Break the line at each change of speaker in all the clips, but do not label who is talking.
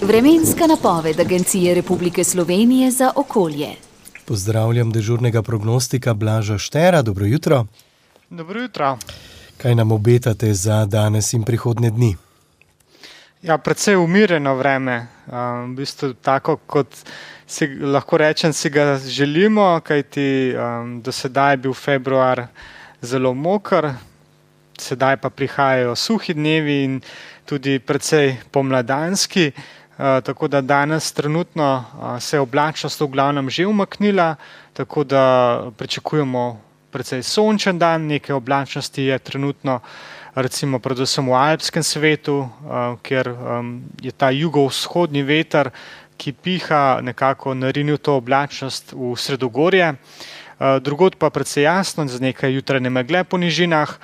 Vremenska napoved Agencije Republike Slovenije za okolje.
Pozdravljam dežurnega prognostika Blaža Štera. Dobro jutro.
Dobro jutro.
Kaj nam obetate za danes in prihodnje dni?
Ja, precej umirjeno vreme. V bistvu tako, kot lahko rečem, si ga želimo, kajti do sedaj je bil februar zelo moker, sedaj pa prihajajo suhi dnevi in tudi precej pomladanski. Tako da danes trenutno se je oblačnost v glavnem že umaknila, tako da pričakujemo precej sončen dan. Nekaj oblačnosti je trenutno recimo predvsem v alpskem svetu, kjer je ta jugovzhodni veter, ki piha, nekako narinil to oblačnost v sredogorje. Drugod pa precej jasno, z nekaj jutranje megle po nižinah,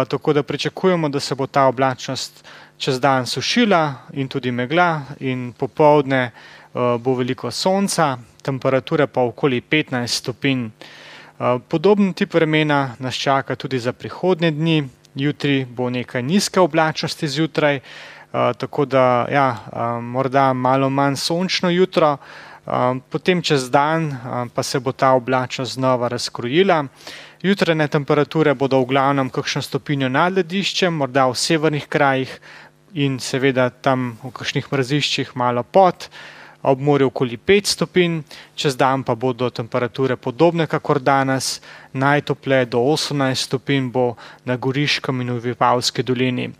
tako da pričakujemo, da se bo ta oblačnost čez dan sušila in tudi megla in popoldne bo veliko sonca, temperature pa okoli 15 stopinj. Podoben tip vremena nas čaka tudi za prihodnje dni. Jutri bo nekaj nizke oblačnosti zjutraj, tako da morda malo manj sončno jutro, potem čez dan pa se bo ta oblačnost znova razkrojila. Jutranje temperature bodo v glavnem kakšno stopinjo nad lediščem, morda v severnih krajih in seveda tam v kakšnih mraziščih malo pod, ob morju okoli 5 stopinj, čez dan pa bodo temperature podobne kakor danes, najtopleje do 18 stopinj bo na Goriškem in v Vipavski dolini.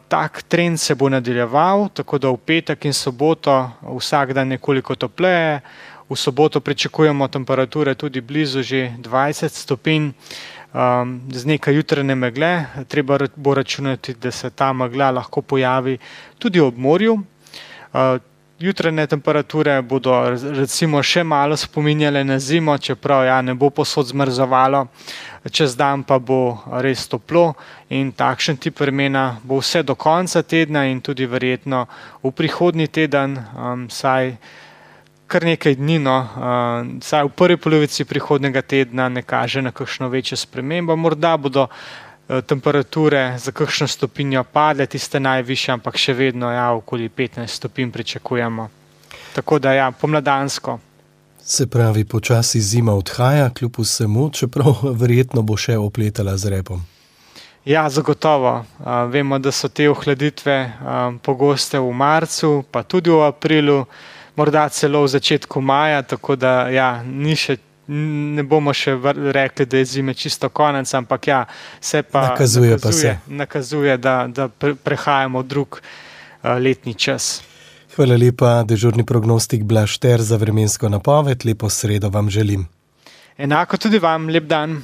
Tak trend se bo nadaljeval, tako da v petek in soboto vsak dan nekoliko topleje, v soboto pričakujemo temperature tudi blizu že 20 stopinj, z nekaj jutranje megle, treba bo računati, da se ta megla lahko pojavi tudi ob morju. Jutranje temperature bodo recimo še malo spominjale na zimo, čeprav ne bo povsod zmrzovalo, čez dan pa bo res toplo in takšen tip vremena bo vse do konca tedna in tudi verjetno v prihodnji teden, saj kar nekaj dni, saj v prvi polovici prihodnjega tedna ne kaže na kakšno večjo spremembo. Morda bodo temperature za kakšno stopinjo padle, tiste najvišje, ampak še vedno okoli 15 stopinj pričakujemo. Tako da pomladansko.
Se pravi, počasi zima odhaja, kljub vsemu, čeprav verjetno bo še opletala z repom.
Ja, zagotovo. Vemo, da so te ohladitve pogoste v marcu, pa tudi v aprilu, morda celo v začetku maja, tako da ne bomo še rekli, da je zime čisto konec, ampak se pa nakazuje, da prehajamo v drug letni čas.
Hvala lepa, dežurni prognostik Blaž Šter za vremensko napoved. Lepo sredo vam želim.
Enako tudi vam, lep dan.